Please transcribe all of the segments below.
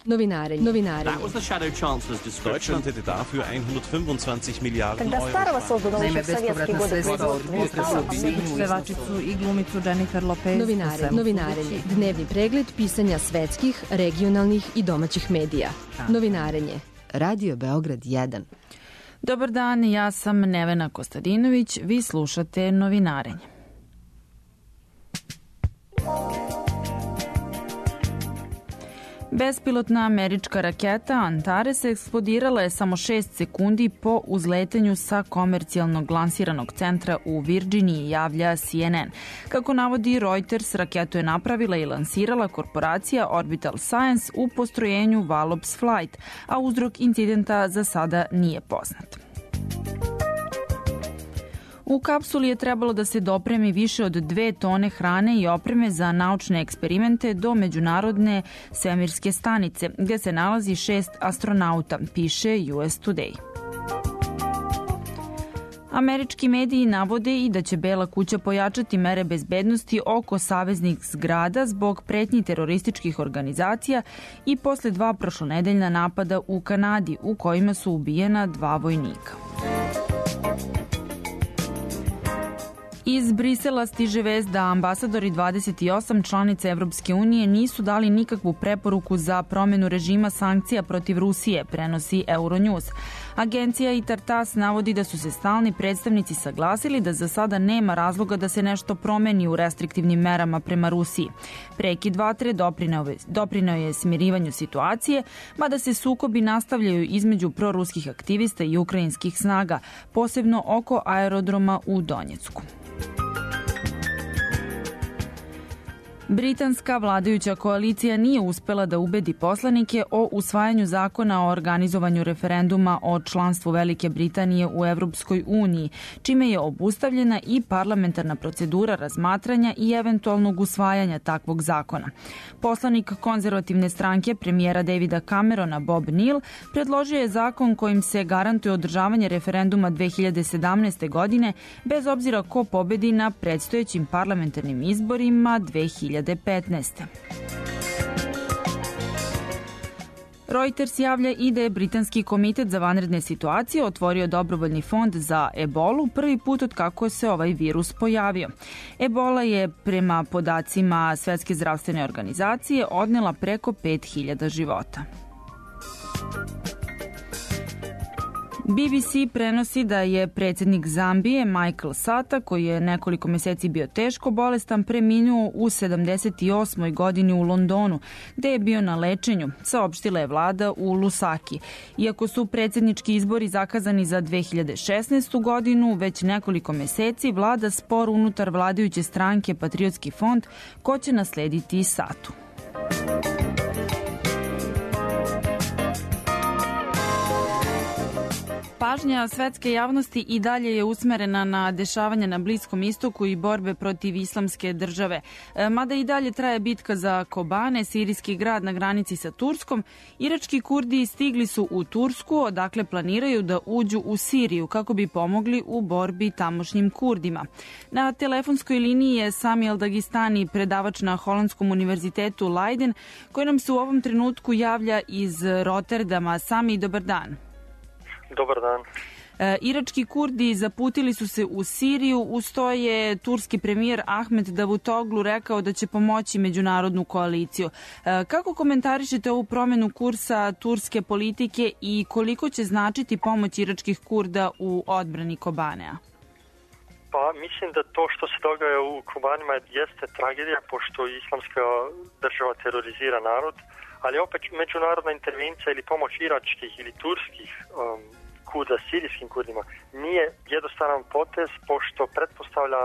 Novinarenje. That was the Shadow Chancellor's description. Deutschland hätte dafür 125 Milijarden Когда Старого создано Naime, еще в советские годы производства, pevačicu i glumicu Jennifer Lopez. Novinarenje. Dnevni pregled pisanja svetskih, regionalnih i domaćih medija. Novinarenje. Radio Beograd 1. Dobar dan, ja sam Nevena Kostadinović, vi slušate Novinarenje. Bespilotna američka raketa Antares eksplodirala je samo 6 sekundi po uzletanju sa komercijalnog lansiranog centra u Virdžiniji, javlja CNN. Kako navodi Reuters, raketu je napravila i lansirala korporacija Orbital Science u postrojenju Wallops Flight, a uzrok incidenta za sada nije poznat. U kapsuli je trebalo da se dopremi više od 2 tone hrane i opreme za naučne eksperimente do međunarodne svemirske stanice, gde se nalazi 6 astronauta, piše US Today. Američki mediji navode i da će Bela kuća pojačati mere bezbednosti oko saveznih zgrada zbog pretnji terorističkih organizacija i posle 2 prošlonedeljna napada u Kanadi u kojima su ubijena 2 vojnika. Iz Brisela stiže vest da ambasadori 28 članica Evropske unije nisu dali nikakvu preporuku za promenu režima sankcija protiv Rusije, prenosi Euronews. Agencija Itar-Tas navodi da su se stalni predstavnici saglasili da za sada nema razloga da se nešto promeni u restriktivnim merama prema Rusiji. Prekid vatre doprineo je smirivanju situacije, mada se sukobi nastavljaju između proruskih aktivista i ukrajinskih snaga, posebno oko aerodroma u Donjecku. Britanska vladajuća koalicija nije uspela da ubedi poslanike o usvajanju zakona o organizovanju referenduma o članstvu Velike Britanije u Evropskoj uniji, čime je obustavljena i parlamentarna procedura razmatranja i eventualnog usvajanja takvog zakona. Poslanik konzervativne stranke premijera Davida Camerona Bob Neill predložio je zakon kojim se garantuje održavanje referenduma 2017. godine bez obzira ko pobedi na predstojećim parlamentarnim izborima 2015. Reuters javlja i da je Britanski komitet za vanredne situacije otvorio dobrovoljni fond za ebolu prvi put od kako se ovaj virus pojavio. Ebola je prema podacima Svetske zdravstvene organizacije odnela preko 5000 života. BBC prenosi da je predsjednik Zambije Michael Sata, koji je nekoliko meseci bio teško bolestan, preminuo u 78. godini u Londonu, gde je bio na lečenju, saopštila je vlada u Lusaki. Iako su predsjednički izbori zakazani za 2016. godinu, već nekoliko meseci vlada spor unutar vladajuće stranke Patriotski fond, ko će naslediti Satu. Pažnja svetske javnosti i dalje je usmerena na dešavanja na Bliskom istoku i borbe protiv islamske države. Mada i dalje traje bitka za Kobane, sirijski grad na granici sa Turskom, irački Kurdi stigli su u Tursku, odakle planiraju da uđu u Siriju kako bi pomogli u borbi tamošnjim Kurdima. Na telefonskoj liniji je Sami El-Dagistani, predavač na Holandskom univerzitetu Leiden, koji nam se u ovom trenutku javlja iz Rotterdama. Sami, dobar dan. Dobar dan. Irački Kurdi zaputili su se u Siriju, uz to je turski premijer Ahmed Davutoglu rekao da će pomoći međunarodnu koaliciju. Kako komentarišete ovu promenu kursa turske politike i koliko će značiti pomoć iračkih Kurda u odbrani Kobanea? Pa mislim da to što se događa u Kobanima jeste tragedija, pošto islamska država terorizira narod, ali opet međunarodna intervencija ili pomoć iračkih ili turskih Kurda, sirijskim Kurdima, nije jednostavan potez, pošto pretpostavlja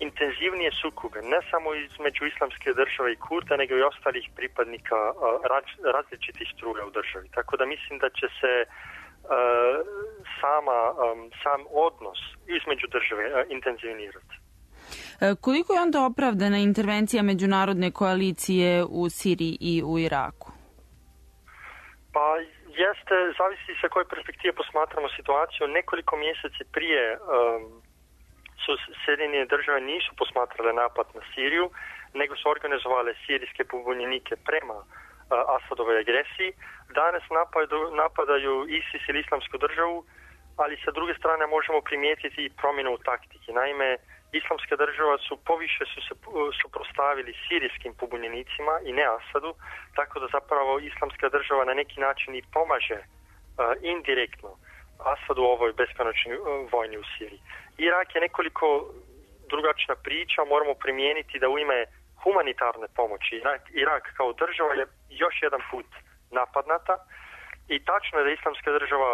intenzivnije sukobe, ne samo između islamske države i Kurda, nego i ostalih pripadnika različitih struja u državi. Tako da mislim da će se sam odnos između države intenzivirati. Koliko je onda opravdana intervencija međunarodne koalicije u Siriji i u Iraku? Pa jeste, zavisi sa koje perspektive posmatramo situaciju. Nekoliko mjeseci prije su Sjedinjene države nisu posmatrale napad na Siriju, nego su organizovale sirijske pobunjenike prema Asadove agresiji. Danas napadaju ISIS ili Islamsku državu, ali sa druge strane možemo primijetiti i promjenu u taktiki. Naime, Islamska država poviše su se suprotstavili sirijskim pobunjenicima i ne Asadu, tako da zapravo Islamska država na neki način i pomaže indirektno Asadu u ovoj beskonačnoj vojni u Siriji. Irak je nekoliko drugačija priča, moramo primijeniti da u ime humanitarne pomoći Irak kao država je još jedan put napadnata i tačno je da Islamska država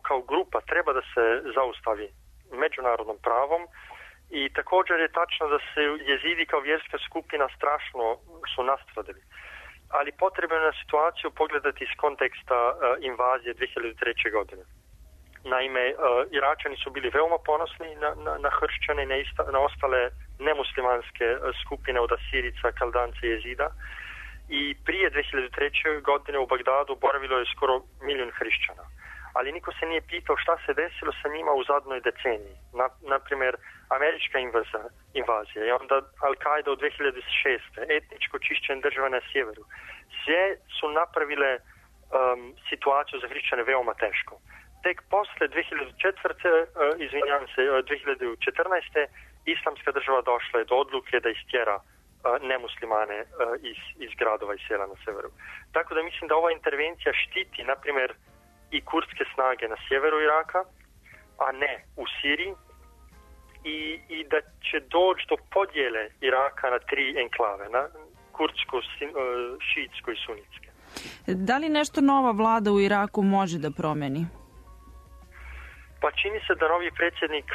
kao grupa treba da se zaustavi međunarodnom pravom i također je tačno da se jezidi kao vjerska skupina strašno su nastradili. Ali potrebno je na situaciju pogledati iz konteksta invazije 2003. godine. Naime, Iračani su bili veoma ponosni na hršćane i na ostale nemuslimanske skupine od Asirica, Kaldanca i Jezida. I prije 2003. godine u Bagdadu boravilo je skoro 1 milijun hrišćana. Ali niko se nije pitao šta se desilo sa njima u zadnjoj deceniji. Naprimjer, američka invazija i onda Al-Qaida u 2006. Etničko čišćenje države na sjeveru. Sve su napravile situaciju za hrišćane veoma teško. Tek posle 2014. Islamska država došla je do odluke da istjera nemuslimane iz gradova i sela na severu. Tako da mislim da ova intervencija štiti, na primjer, i kurdske snage na sjeveru Iraka, a ne u Siriji, i da će doći do podjele Iraka na 3 enklave, na kurdsko, šiitsko i sunitske. Da li nešto nova vlada u Iraku može da promeni? Pa čini se da novi predsjednik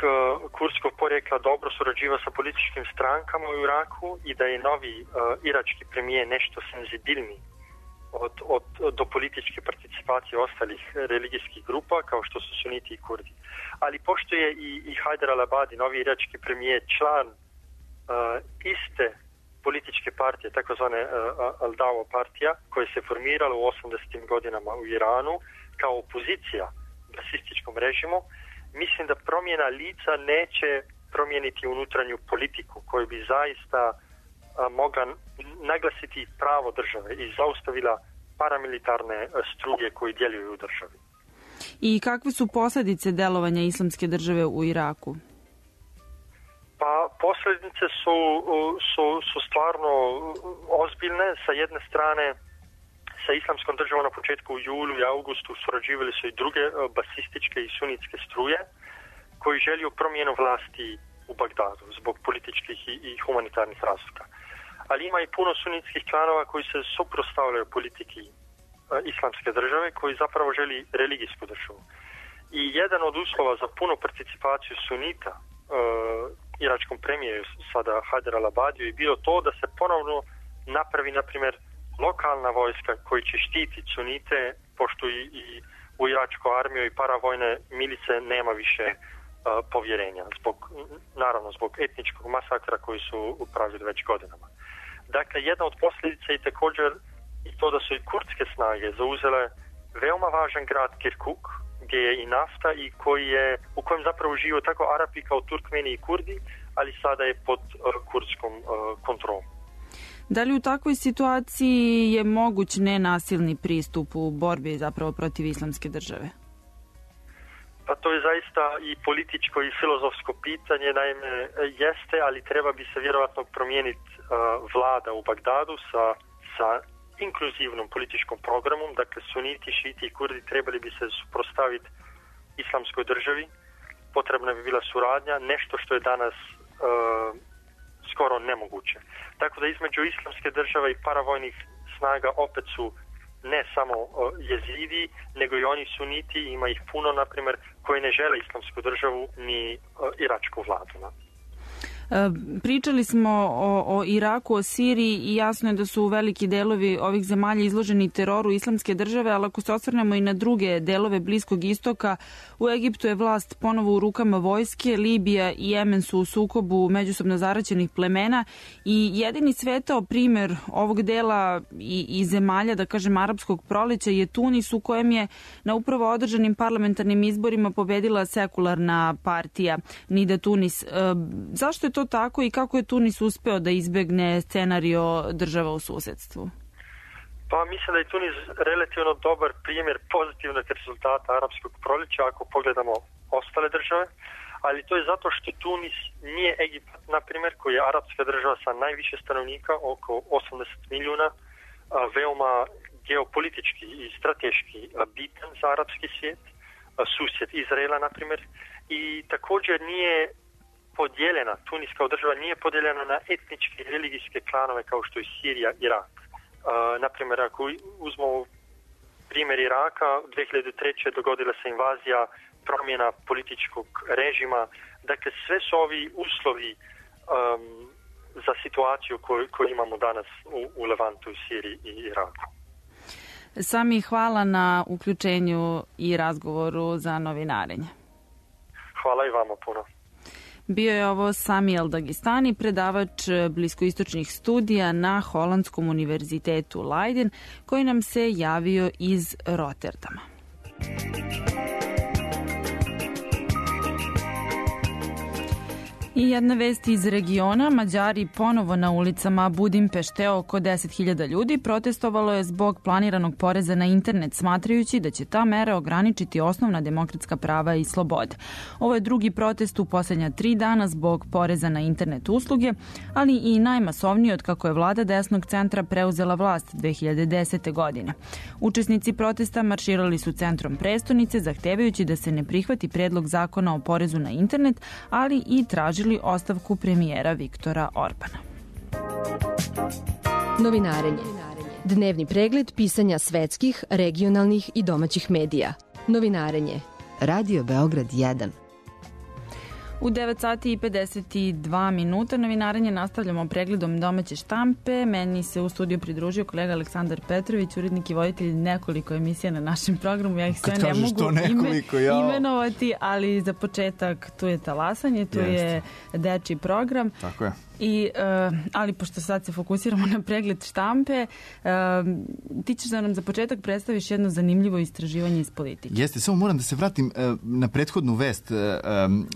kurdskog porijekla dobro surađiva sa političkim strankama u Iraku i da je novi irački premijer nešto senzibilniji do političke participacije ostalih religijskih grupa kao što su suniti i kurdi. Ali pošto je i Hajder al-Abadi, novi irački premijer, član iste političke partije, takozvane Al-Dawa partija, koja se formirala u 80. godinama u Iranu kao opozicija basističkom režimu, mislim da promjena lica neće promijeniti unutranju politiku koju bi zaista mogla naglasiti pravo države i zaustavila paramilitarne struge koji djeluju u državi. I kakve su posljedice delovanja Islamske države u Iraku? Pa posljedice su stvarno ozbiljne. Sa jedne strane, sa Islamskom državom na početku u julu i augustu surađivali su i druge basističke i sunitske struje koji želju promjenu vlasti u Bagdadu zbog političkih i humanitarnih razloga. Ali ima i puno sunitskih klanova koji se suprotstavljaju politiki Islamske države, koji zapravo želi religijsku državu. I jedan od uslova za punu participaciju sunita iračkom premijeru sada Hajder al-Abadiju je bilo to da se ponovno napravi, na primjer, lokalna vojska koji će štititi sunite, pošto i u iračku armiju i paravojne milice nema više povjerenja, zbog etničkog masakra koji su upravljali već godinama. Dakle, jedna od posljedica je također i to da su i kurdske snage zauzele veoma važan grad Kirkuk, gdje je i nafta i u kojem zapravo žive tako Arapi kao Turkmeni i Kurdi, ali sada je pod kurdskom kontrolom. Da li u takvoj situaciji je moguć nenasilni pristup u borbi zapravo protiv Islamske države? Pa to je zaista i političko i filozofsko pitanje, naime jeste, ali treba bi se vjerojatno promijeniti vlada u Bagdadu sa inkluzivnom političkom programom, dakle suniti, šiti i kurdi trebali bi se suprotstaviti Islamskoj državi, potrebna bi bila suradnja, nešto što je danas skoro nemoguće. Tako da između Islamske države i paravojnih snaga opet su ne samo jezidi, nego i oni suniti, ima ih puno, na primjer, koji ne žele Islamsku državu ni iračku vladu. Pričali smo o Iraku, o Siriji i jasno je da su veliki delovi ovih zemalja izloženi teroru Islamske države, ali ako se osvrnemo i na druge delove Bliskog istoka, u Egiptu je vlast ponovo u rukama vojske, Libija i Jemen su u sukobu međusobno zaraćenih plemena i jedini svetao primjer ovog dela i zemalja, da kažem, arapskog proleća je Tunis, u kojem je na upravo održanim parlamentarnim izborima pobedila sekularna partija Nida Tunis. Zašto je to tako i kako je Tunis uspeo da izbegne scenario država u susedstvu? Pa mislim da je Tunis relativno dobar primjer pozitivnog rezultata arapskog proljeća ako pogledamo ostale države, ali to je zato što Tunis nije Egipat, na primjer, koji je arapska država sa najviše stanovnika, oko 80 milijuna, veoma geopolitički i strateški bitan za arapski svijet, susjed Izraela, na primjer, i također nije podijeljena, Tunis kao država nije podijeljena na etničke i religijske klanove kao što je Sirija, Irak. Naprimjer, ako uzmemo primjer Iraka, 2003. dogodila se invazija, promjena političkog režima. Dakle, sve su ovi uslovi za situaciju koju imamo danas u Levantu, Siriji i Iraku. Sami, hvala na uključenju i razgovoru za novinarenje. Hvala i vama puno. Bio je ovo Sami El-Dagistani, predavač bliskoistočnih studija na Holandskom univerzitetu Leiden, koji nam se javio iz Rotterdama. I jedna vest iz regiona. Mađari ponovo na ulicama Budimpešte, oko 10.000 ljudi protestovalo je zbog planiranog poreza na internet, smatrajući da će ta mera ograničiti osnovna demokratska prava i slobode. Ovo je drugi protest u posljednja 3 dana zbog poreza na internet usluge, ali i najmasovniji od kako je vlada desnog centra preuzela vlast 2010. godine. Učesnici protesta marširali su centrom prestonice, zahtevajući da se ne prihvati predlog zakona o porezu na internet, ali i tražili ostavku premijera Viktora Orbana. Novinarenje. Dnevni pregled pisanja svetskih, regionalnih i domaćih medija. Novinarenje. Radio Beograd 1. U 9 sati i 52 minuta novinarenje nastavljamo pregledom domaće štampe. Meni se u studiju pridružio kolega Aleksandar Petrović, urednik i voditelj nekoliko emisija na našem programu. Ja ih sve ne mogu imenovati, ali za početak tu je Talasanje, tu je dečiji program. Tako je. Ali pošto sad se fokusiramo na pregled štampe, ti ćeš da nam za početak predstaviš jedno zanimljivo istraživanje iz politike. Jeste, samo moram da se vratim na prethodnu vest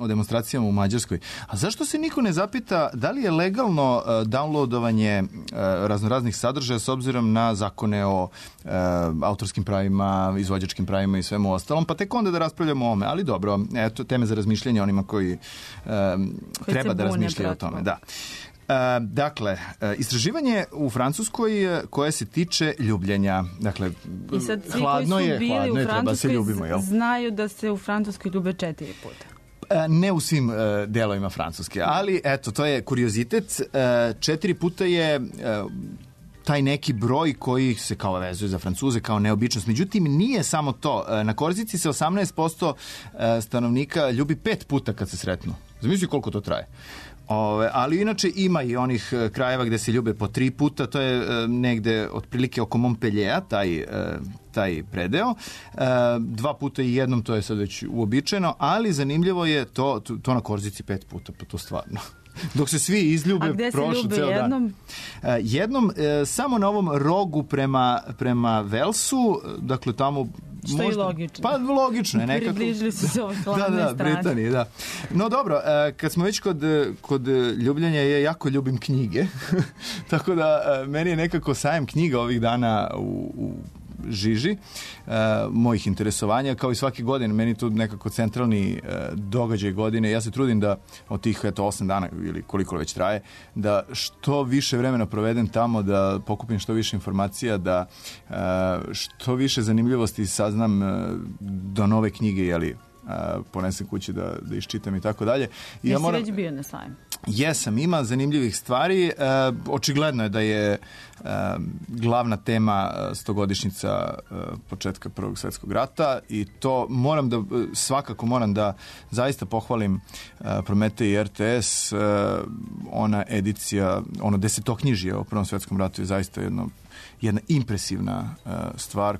o demonstracijama u Mađarskoj. A zašto se niko ne zapita da li je legalno downloadovanje raznoraznih sadržaja s obzirom na zakone o autorskim pravima, izvođačkim pravima i svemu ostalom, pa tek onda da raspravljamo o ome. Ali dobro, eto, teme za razmišljanje onima koji treba da razmišljaju o tome. Da. Dakle, istraživanje u Francuskoj koje se tiče ljubljenja. Dakle, i sad svi hladno koji su bili u Francuskoj ljubimo, znaju da se u Francuskoj ljube 4 puta. Ne u svim delovima Francuske, ali eto, to je kuriozitet. 4 puta je taj neki broj koji se kao vezuje za Francuze kao neobičnost. Međutim, nije samo to. Na Korzici se 18% stanovnika ljubi 5 puta kad se sretnu. Zamisli koliko to traje. Ali inače ima i onih krajeva gde se ljube po 3 puta, to je negde otprilike oko Montpelliera, taj predeo. 2 puta i jednom, to je sad već uobičajeno, ali zanimljivo je to na Korzici 5 puta, pa to stvarno. Dok se svi izljube, prošlo ceo dan. Jednom, samo na ovom rogu prema Velsu, dakle tamo što je logično. Pa logično je nekako. Približili su se ovoj hladnoj strani. Britaniji, da. No dobro, kad smo već kod ljubljenja, ja jako ljubim knjige. Tako da meni je nekako sajam knjiga ovih dana u žiži mojih interesovanja, kao i svake godine. Meni tu nekako centralni događaj godine. Ja se trudim da od tih 8 dana ili koliko već traje, da što više vremena provedem tamo, da pokupim što više informacija, da što više zanimljivosti saznam do nove knjige, ponesem kući da iščitam i tako dalje. Jesi već bio na sajmu? Jesam, ima zanimljivih stvari. Očigledno je da je glavna tema 100-godišnjica početka Prvog svjetskog rata i to svakako moram da zaista pohvalim Prometej i RTS. Ona edicija, ono 10-knjižje o Prvom svjetskom ratu je zaista jedna impresivna stvar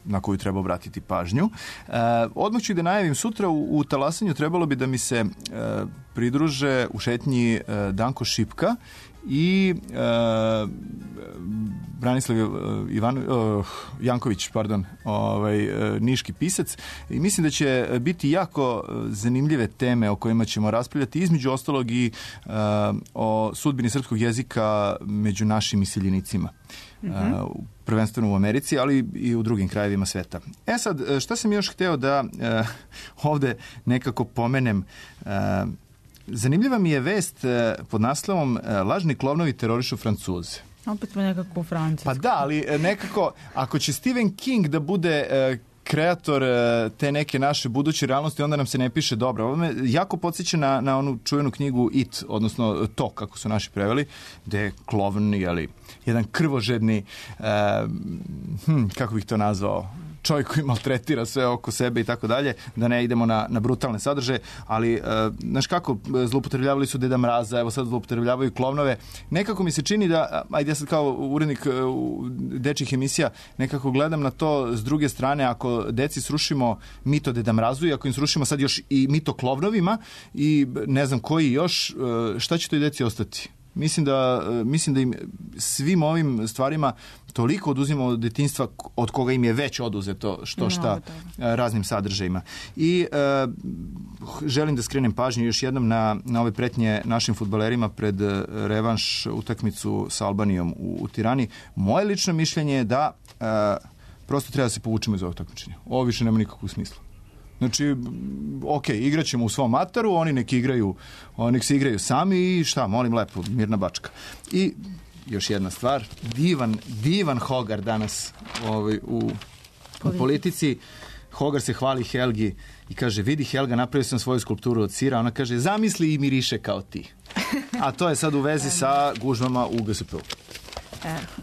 na koju treba obratiti pažnju. Odmah ću da najavim, sutra u Talasanju trebalo bi da mi se pridruže u šetnji Danko Šipka i Branislav Janković, niški pisac. I mislim da će biti jako zanimljive teme o kojima ćemo raspravljati, između ostalog i o sudbini srpskog jezika među našim iseljenicima. Prvenstveno u Americi, ali i u drugim krajevima sveta. Sad, šta sam još hteo da ovde nekako pomenem? Zanimljiva mi je vest pod naslovom Lažni klovnovi terorišu Francuze. Opet smo nekako u Francusku. Pa da, ali nekako, ako će Stephen King da bude kreator te neke naše buduće realnosti, onda nam se ne piše dobro. Ovo me jako podsjeća na onu čuvenu knjigu It, odnosno To, kako su naši preveli, gde je klovn, jedan krvožedni, kako bih to nazvao, čovjek koji maltretira sve oko sebe i tako dalje, da ne idemo na brutalne sadržaje, ali znaš kako, zloupotrebljavali su Deda Mraza, evo sad zloupotrebljavaju klovnove. Nekako mi se čini da, ajde ja sad kao urednik dečjih emisija, nekako gledam na to s druge strane, ako deci srušimo mito Deda Mrazu i ako im srušimo sad još i mito klovnovima i ne znam koji još, šta će toj deci ostati? Mislim da im svim ovim stvarima toliko oduzimamo od detinjstva od koga im je već oduzeto šta raznim sadržajima. I želim da skrenem pažnju još jednom na ove pretnje našim fudbalerima pred revanš utakmicu sa Albanijom u Tirani. Moje lično mišljenje je da prosto treba da se povučemo iz ovog takmičenja. Ovo više nema nikakvog smisla. Znači, igraćemo u svom ataru, oni nek se igraju sami i šta, molim lepo, mirna bačka. I još jedna stvar, divan Hogar danas u politici. Hogar se hvali Helgi i kaže, vidi Helga, napravio sam svoju skulpturu od sira. Ona kaže, zamisli i miriše kao ti. A to je sad u vezi sa gužvama u GSP-u.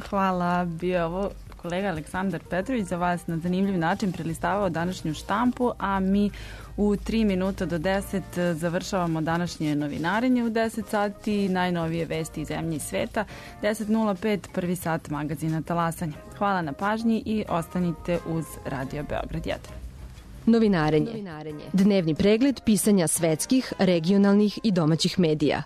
Hvala, bio ovo kolega Aleksandar Petrović za vas na zanimljiv način prelistavao današnju štampu, a mi u 3 minuta do 10 završavamo današnje novinarenje u 10 sati, najnovije vesti iz zemlje i sveta, 10.05, prvi sat magazina Talasanje. Hvala na pažnji i ostanite uz Radio Beograd 1. Novinarenje. Dnevni pregled pisanja svetskih, regionalnih i domaćih medija.